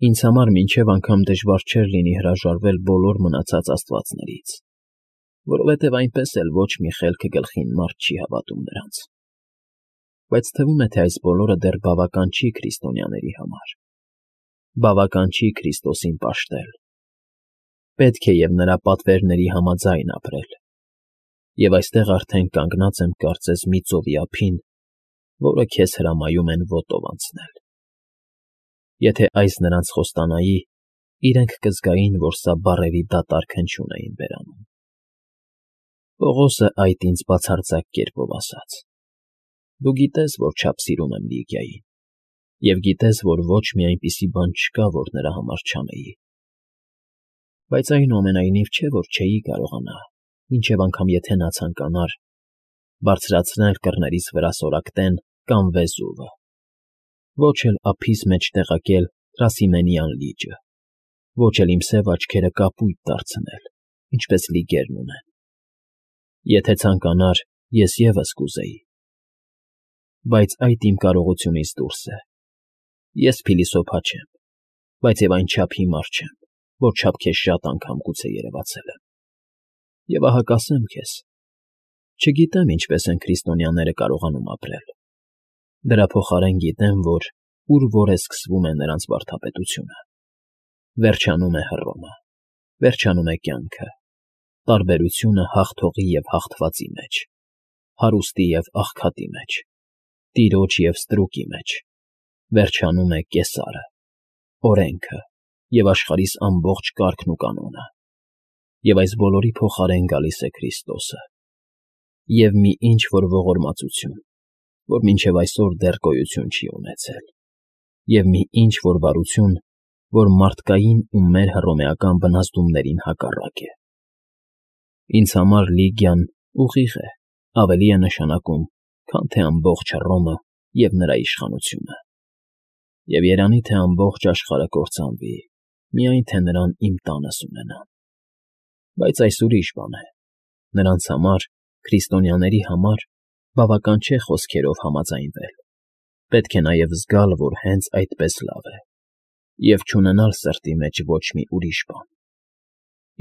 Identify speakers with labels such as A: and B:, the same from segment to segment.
A: Ինձ համար մինչև անգամ դժվար չէր լինի հրաժարվել բոլոր մնացած աստվածներից, որովհետև այնպես էլ ոչ մի խելքը գլխին մարդ չի հավատում նրանց։ Բայց թվում է, թե այս բոլորը դեռ բավական չի քրիստոնյաների համար, բավական չի Քրիստոսին պաշտել։ Պետք է և նրա պատվերների համաձայն ապրել։ Եվ այստեղ արդեն կանգնած եմ կարծես մի ծովի ափին, որը քեզ հրամայում են ոտով անցնել։ Եթե այս նրանց խոստանայի, իրենք կզգային, որ սա բառերի դատարկ հնչյուն էին բերանում։ Պողոսը այդ ինձ բացարձակ կերպով ասաց. «Դու գիտես, որ չափ սիրում եմ Լիգիային, և գիտես, որ ոչ մի այնպիսի բան չկա, որ նրա համար չանեի։ Բայց այնուամենայնիվ չէ, որ չէի կարողանա, մինչև անգամ եթե նա ցանկանար, բարձրացնել կռներից վրա սորակտեն կամ Վեզուվը, ոչ էլ ափիս մեջ տեղակել Թրասիմենյան լիճը, ոչ էլ իմ սև աչքերը կապույտ դարձնել, ինչպես լիգերն ունեն։ Եթե ցանկանար, ես ևս կուզեի։ Բայց այդ իմ կարողությունից դուրս է։ Ես փիլիսոփա չեմ, բայց և այնչափ հիմար չեմ, որչափ քեզ շատ անգամ գուցե երևացել եմ։ Եվ ահա կասեմ քեզ. չգիտեմ ինչպես են քրիստոնյաները կարողանում ապրել։ Դրա փոխարեն գիտեմ, որ ուր որ է սկսվում է նրանց վարդապետությունը, վերջանում է Հռոմը, վերջանում է կյանքը, տարբերությունը հաղթողի և հաղթվածի մեջ, հարուստի և աղքատի մեջ, տիրոջ և ստրուկի մեջ, վերջանում է Կեսարը, օրենքը և աշխարհիս ամբողջ կարգն ու կանոնը, և այս բոլորի փոխարեն գալիս է Քրիստոսը, և մի ինչ֊որ ողորմածություն, որ մինչև այսօր դեռ գոյություն չի ունեցել, և մի ինչ֊որ բարություն, որ մարդկային ու մեր հռոմեական բնազդումներին հակառակ է։ Ինձ համար Լիգիան ուղիղ է, ավելի է նշանակում, քան թե ամբողջ Հռոմը և նրա իշխանությունը։ Եվ երանի թե ամբողջ աշխարհը կործանվի, միայն թե նրան իմ տանս ունենամ։ Բայց այս ուրիշ բան է։ Նրանց համար, քրիստոնյաների համար, բավական չէ խոսքերով համաձայնվել։ Պետք է նաև զգալ, որ հենց այդպես լավ է, և չունենալ սրտի մեջ ոչ մի ուրիշ բան։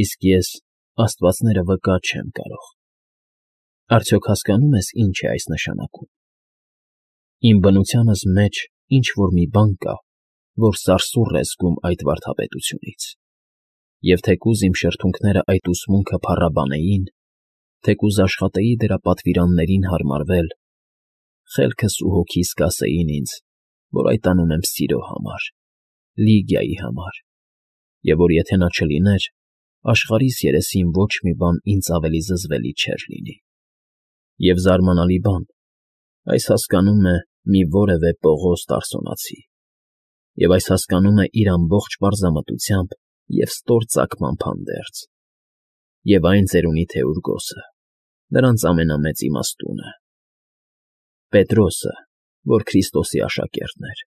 A: Իսկ ես աստվածները վկա չեմ կարող։ Արդյոք հասկանո՞ւմ ես ինչ է այս նշանակում։ Իմ բնությանս մեջ ինչ֊որ մի բան կա, որ սարսուռ է զգում այդ վարդապետությունից, և թեկուզ իմ շրթունքները այդ ուսմունքը փառաբանեին, թեկուզ աշխատեի դրա պատվիրաններին հարմարվել, խելքս ու հոգիս կասեին ինձ, որ այդ անում եմ սիրո համար, Լիգիայի համար, և որ եթե նա չլիներ, աշխարհիս երեսին ոչ մի բան ինձ ավելի զզվելի չէր լինի։ Եվ զարմանալի բան, այս հասկանում է մի որևէ Պողոս Տարսոնացի, և այս հասկանում է իր ամբողջ պարզամտությամբ և ստոր ծագմամբ հանդերձ, և այն ծերունի Թեուրգոսը, նրանց ամենամեծ իմաստունը, Պետրոսը, որ Քրիստոսի աշակերտն էր։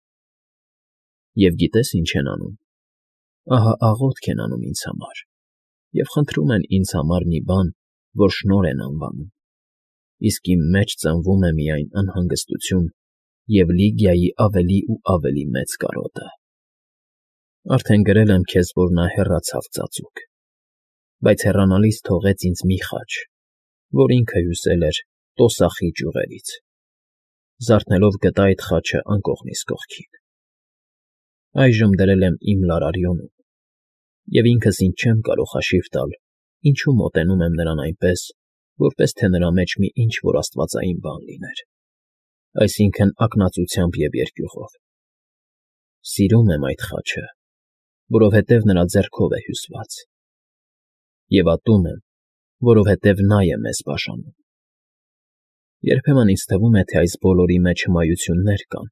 A: Եվ գիտես ինչ են անում։ Ահա աղոթք են անում ինձ համար, և խնդրում են ինձ համար մի բան, որ շնորհ են անվանում, իսկ իմ մեջ ծնվում է միայն անհանգստություն և Լիգիայի ավելի ու ավելի մեծ կարոտը։ Արդեն գրել եմ քեզ, որ նա հեռացավ ծածուկ, բայց հեռանալիս թողեց ինձ մի խաչ, որ ինքը հյուսել էր տոսախի ճյուղերից։ Զարթնելով գտա այդ խաչը անկողնիս կողքին։ Այժմ դրել եմ իմ Լարարիոնում, և ինքս ինձ չեմ կարող հաշիվ տալ, ինչու մոտենում եմ նրան այնպես, որպես թե նրա մեջ մի ինչ֊որ աստվածային բան լիներ, այսինքն ակնածությամբ և երկյուղով։ Սիրում եմ այդ խաչը, որովհետև նրա ձեռքով է հյուսված, և ատում եմ, որովհետև նա է մեզ բաժանում։ Երբեմն ինձ թվում է, թե այս բոլորի մեջ հմայություններ կան,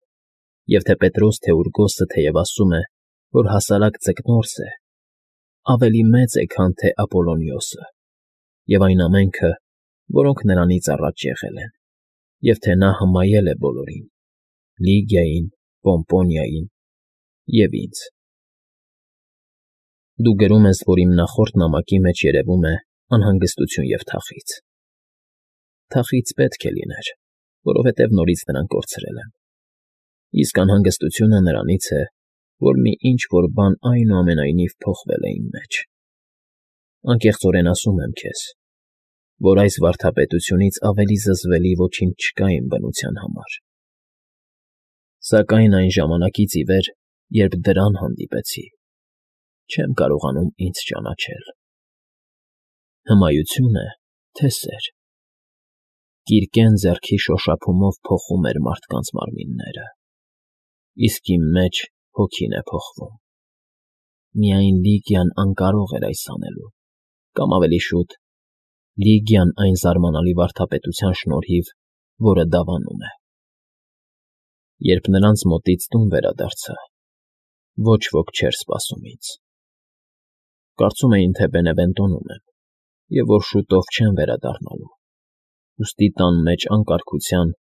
A: և թե Պետրոս Թեուրգոսը թեև ասում է, որ հասարակ ձկնորս է, ավելի մեծ է, քան թե Ապոլոնիոսը, և այն ամենքը, որոնք նրանից առաջ եղել են, և թե նա հմայել է բոլորին՝ Լիգիային, Պոմպոնիային և ինձ։ Դու գրում ես, որ իմ նախորդ նամակի մեջ երևում է անհանգստություն և թախիծ։ Թախիծ պետք է լիներ, որովհետև նորից նրան կորցրել եմ։ Իսկ անհանգստությունը նրանից է, որ մի ինչ-որ բան այնուամենայնիվ փոխվել է իմ մեջ։ Անկեղծորեն ասում եմ քեզ, որ այս վարդապետությունից ավելի զզվելի ոչինչ չկա իմ բնության համար։ Սակայն այն ժամանակից ի վեր, երբ դրան հանդիպեցի, չեմ կարողանում ինձ ճանաչել։ Հմայություն է, թե սեր։ Կիրկեն ձեռքի շոշափումով փոխում էր մարդկանց մարմինները, իսկ իմ մեջ հոգին է փոխվում։ Միայն Լիգիան անկարող էր այս անելու, կամ ավելի շուտ, Լիգիան այն զարմանալի վարդապետության շնորհիվ, որը դավանում է։ Երբ նրանց մոտից տուն վերադարձա, ոչ ոք չէր սպասում ինձ։ Կարծում էին, թե Բենևենտոնում եմ, և որ շուտով չեմ վերադառնալու, ուստի տան մեջ անկարգության,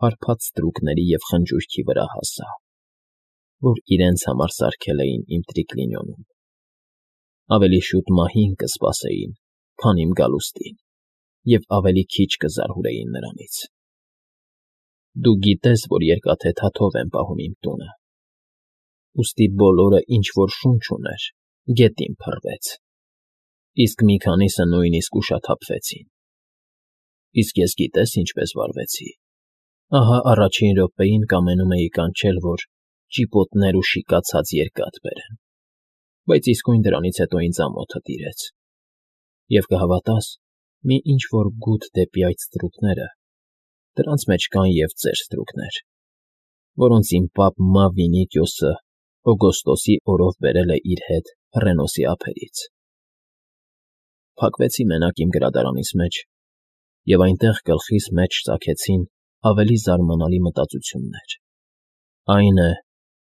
A: հարբած ստրուկների և խնջույքի վրա հասա, որ իրենց համար սարքել էին իմ տրիկլինիոնում։ Ավելի շուտ մահին կսպասեին, քան իմ գալուստին, և ավելի քիչ կզարհուրեին նրանից։ Դու գիտես, որ երկաթե թաթով եմ պահում իմ տունը, ուստի բոլորը, ինչ որ շունչ ուներ, գետին փռվեց, իսկ մի քանիսը նույնիսկ ուշաթափվեցին։ Իսկ ես գիտես ինչպես վարվեցի։ Ահա առաջին րոպեին կամենում էի կանչել, որ ճիպոտներ ու շիկացած երկաթ բերեն, բայց իսկույն դրանից հետո ինձ ամոթը տիրեց։ Եվ կհավատաս, մի ինչ-որ գութ դեպի այդ ստրուկները, դրանց մեջ կան և ծեր ստրուկներ, որոնց իմ պապ Մավրինիկիոսը օգոստոսի օրով բերել է իր հետ Հռենոսի ափերից։ Փակվեցի մենակ իմ գրադարանիս մեջ, և այնտեղ գլխիս մեջ ծագեցին ավելի զարմանալի մտածություններ։ Այն է,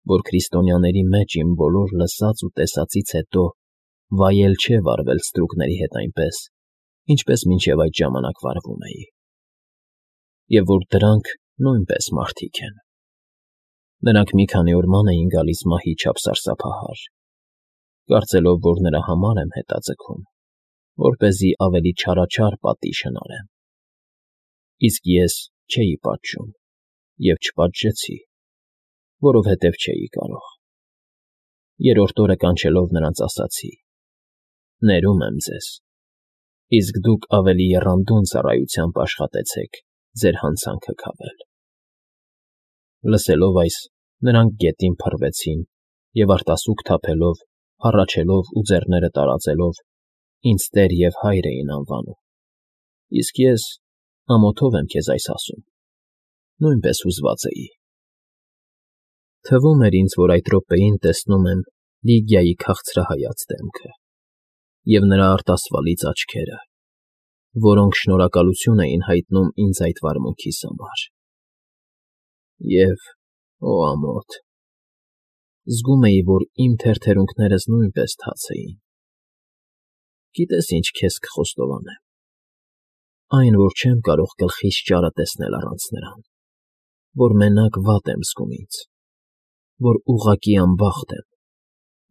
A: որ քրիստոնյաների մեջ իմ բոլոր լսած ու տեսածից հետո վայել չէ վարվել ստրուկների հետ այնպես, ինչպես մինչև այդ ժամանակ վարվում էի, և որ դրանք նույնպես մարդիկ են։ Նրանք մի քանի օր ման էին գալիս մահի չափ սարսափահար, կարծելով, որ նրա համար եմ հետաձգում, որպեսզի ավելի չարաչար պատիժ հնարեմ։ Իսկ ես չէի պատժում և չպատժեցի, որովհետև չէի կարող։ Երրորդ օրը կանչելով նրանց ասացի. «Ներում եմ ձեզ, իսկ դուք ավելի եռանդուն ծառայությամբ աշխատեցեք ձեր հանցանքը քավել»։ Լսելով այս, նրանք գետին փռվեցին և արտասուք թափելով, հառաչելով ու ձեռները տարածելով, ինձ տեր և հայր էին անվանում, իսկ ես, ամոթով եմ քեզ այս ասում, նույնպես հուզված էի։ Թվում էր ինձ, որ այդ րոպեին տեսնում եմ Լիգիայի քաղցրահայաց դեմքը և նրա արտասվալից աչքերը, որոնք շնորհակալություն էին հայտնում ինձ այդ վարմունքիս համար։ Եվ, օ ամոթ, զգում էի, որ իմ թերթերունքներս նույնպես թաց էին։ Գիտես ինչ քեզ կխոստովանեմ։ Այն, որ չեմ կարող գլխիս ճարը տեսնել առանց նրան, որ մենակ վատ եմ զգում ինձ, որ ուղղակի անբախտ եմ,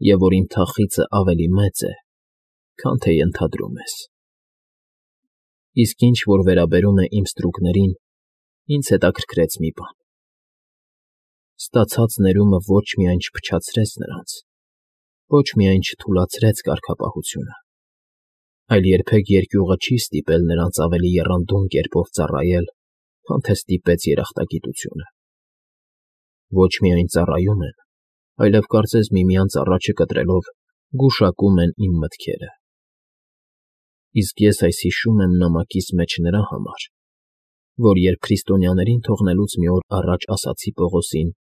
A: և որ իմ թախիծը ավելի մեծ է, քան թե ենթադրում ես։ Իսկ ինչ որ վերաբերում է իմ ստրուկներին, ինձ հետաքրքրեց մի բան. ստացած ներումը ոչ միայն չփչացրեց նրանց, ոչ միայն չթուլացրեց կարգապահությունը, այլ երբեք երկյուղը չի ստիպել նրանց ավելի եռանդուն կերպով ծառայել, քան թե ստիպեց երախտագիտությունը։ Ոչ միայն ծառայում են, այլև կարծես միմյանց առաջը կտրելով գուշակում են իմ մտքերը։ Իսկ ես այս հիշում եմ նամակիս մեջ նրա համար, որ երբ քրիստոնյաներին թողնելուց մի օր առաջ ասացի Պողոսին,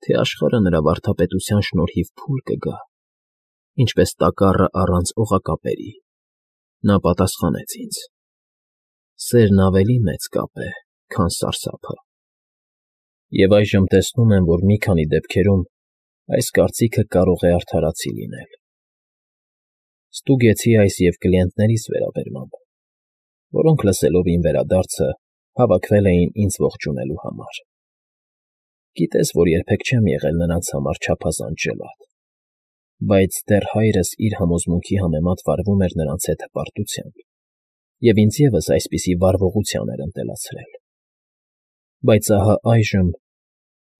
A: թե աշխարհը նրա վարդապետության շնորհիվ փուլ կգա, ինչպես տակառը առանց օղակապերի, նա պատասխանեց ինձ. «Սերն ավելի մեծ կապ է, քան սարսափը»։ Եվ այժմ տեսնում եմ, որ մի քանի դեպքերում այս կարծիքը կարող է արդարացի լինել։ Ստուգեցի այս և կլիենտներիս վերաբերմամբ, որոնք լսելով իմ վերադարձը հավաքվել էին ինձ ողջունելու համար։ Գիտես, որ երբեք չեմ եղել նրանց համար չափազանց ջլատ, բայց դեռ հայրս իր համոզմունքի համեմատ վարվում էր նրանց հետ հպարտությամբ, և ինձ ևս այսպիսի վարվողության էր ընտելացրել։ Բայց ահա այժմ,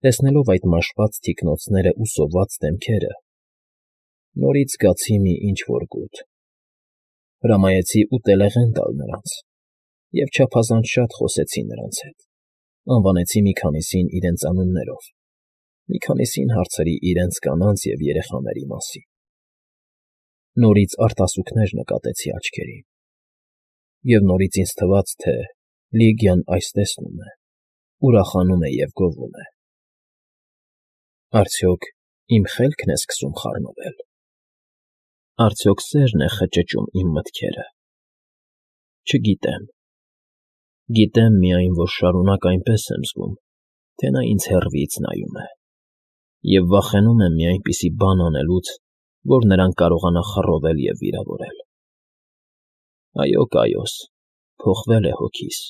A: Տեսնելով այդ մաշված թիկնոցներն ու սոված դեմքերը, նորից զգացի մի ինչ֊որ գութ, հրամայեցի ուտելեղեն տալ նրանց և չափազանց շատ խոսեցի նրանց հետ, անվանեցի մի քանիսին իրենց անուններով, մի քանիսին հարցրի իրենց կանանց և երեխաների մասին. Նորից արտասուքներ նկատեցի աչքերին, և նորից ինձ թվաց, թե Լիգիան այս տեսնում է, ուրախանում է և գովում է. Արդյոք իմ խելքն է սկսում խառնվել, արդյոք սերն է խճճում իմ մտքերը, չգիտեմ, գիտեմ միայն, որ շարունակ այնպես եմ զգում, թե նա ինձ հեռվից նայում է, և վախենում եմ մի այնպիսի բան անելուց, որ նրան կարողանա խռովել և վիրավորել։ Այո, Կայոս, փոխվել է հոգիս,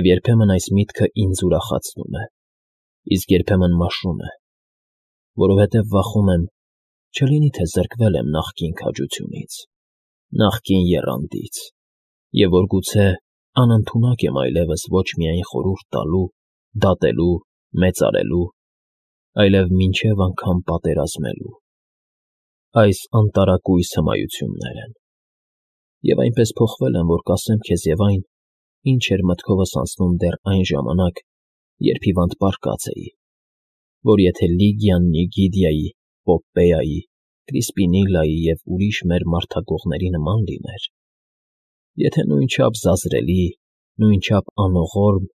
A: և երբեմն այս միտքը ինձ ուրախացնում է, իսկ երբեմն մաշում է, որովհետև վախում եմ, չլինի թե զրկվել եմ նախկին քաջությունից, նախկին եռանդից, և որ գուցե անընդունակ եմ այլևս ոչ միայն խորհուրդ տալու, դատելու, մեծարելու, այլև մինչև անգամ պատերազմելու։ Այս անտարակույս հմայություններ են, և այնպես փոխվել եմ, որ կասեմ քեզ և այն, ինչ էր մտքովս անցնում դեռ այն ժամանակ, երբ հիվանդ պառկած էի, որ եթե Լիգիան Նիգիդիայի, Պոպպեայի, Կրիսպինիլայի և ուրիշ մեր մարդագողների նման լիներ, եթե նույնչափ զազրելի, նույնչափ անողորմ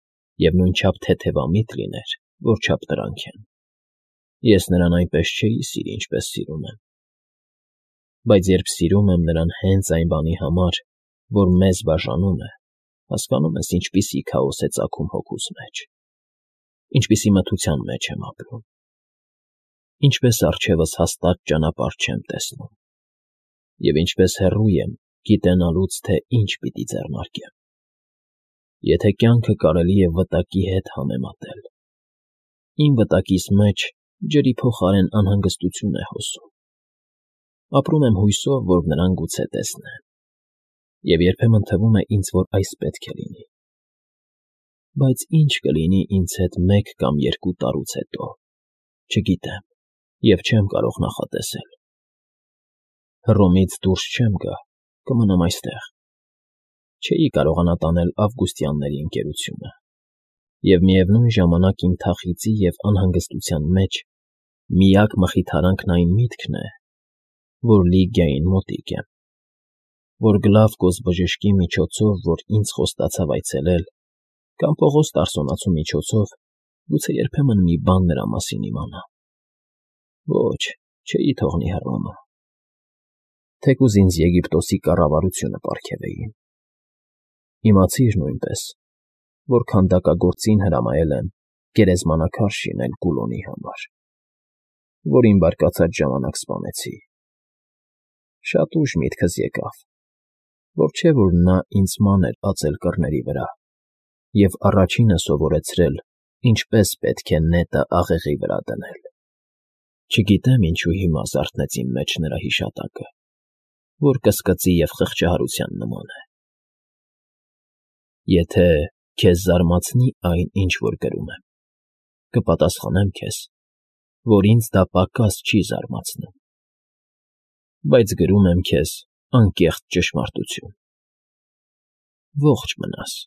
A: և նույնչափ թեթևամիտ լիներ, որչափ նրանք են, ես նրան այնպես չէի սիրի, ինչպես սիրում եմ, բայց երբ սիրում եմ նրան հենց այն բանի համար, որ մեզ բաժանում է, հասկանում ես ինչպիսի քաոս է ծագում հոգուս մեջ, ինչպիսի մթության մեջ եմ ապրում, ինչպես առջևս հաստատ ճանապարհ չեմ տեսնում, և ինչպես հեռու եմ գիտենալուց, թե ինչ պիտի ձեռնարկեմ, եթե կյանքը կարելի է վտակի հետ համեմատել, իմ վտակիս մեջ ջրի փոխարեն անհանգստություն է հոսում, ապրում եմ հույսով, որ նրան գուցե տեսնեմ, և երբեմն թվում է ինձ, որ այս պետք է լինի, բայց ինչ կլինի ինձ հետ մեկ կամ երկու տարուց հետո, չգիտեմ և չեմ կարող նախատեսել, Հռոմից դուրս չեմ գա, կմնամ այստեղ, չէի կարողանա տանել ավգուստյանների ընկերությունը, և միևնույն ժամանակ իմ թախիծի և անհանգստության մեջ միակ մխիթարանքն այն միտքն է, որ Լիգիային մոտիկ եմ, որ Գլավկոս բժշկի միջոցով, որ ինձ խոստացավ այցելել, կամ Պողոս Տարսոնացու միջոցով գուցե երբեմն մի բան նրա մասին իմանամ։ Ոչ, չէի թողնի Հռոմը, թեկուզ ինձ Եգիպտոսի կառավարությունը պարգևեին։ Իմացիր նույնպես, որ քանդակագործին հրամայել եմ գերեզմանակար շինել Գուլոնի համար, որին բարկացած ժամանակ սպանեցի։ Շատ ուշ միտքս եկավ, որ չէ, որ նա ինձ մանր ածել կռների վրա և առաջինը սովորեցրել, ինչպես պետք է նետը աղեղի վրա դնել։ Չգիտեմ ինչու հիմա զարթնեց իմ մեջ նրա հիշատակը, որ կսկծի և խղճահարության նման է։ Եթե քեզ զարմացնի այն, ինչ որ գրում եմ, կպատասխանեմ քեզ, որ ինձ դա պակաս չի զարմացնում, բայց գրում եմ քեզ անկեղծ ճշմարտություն։ Ողջ մնաս։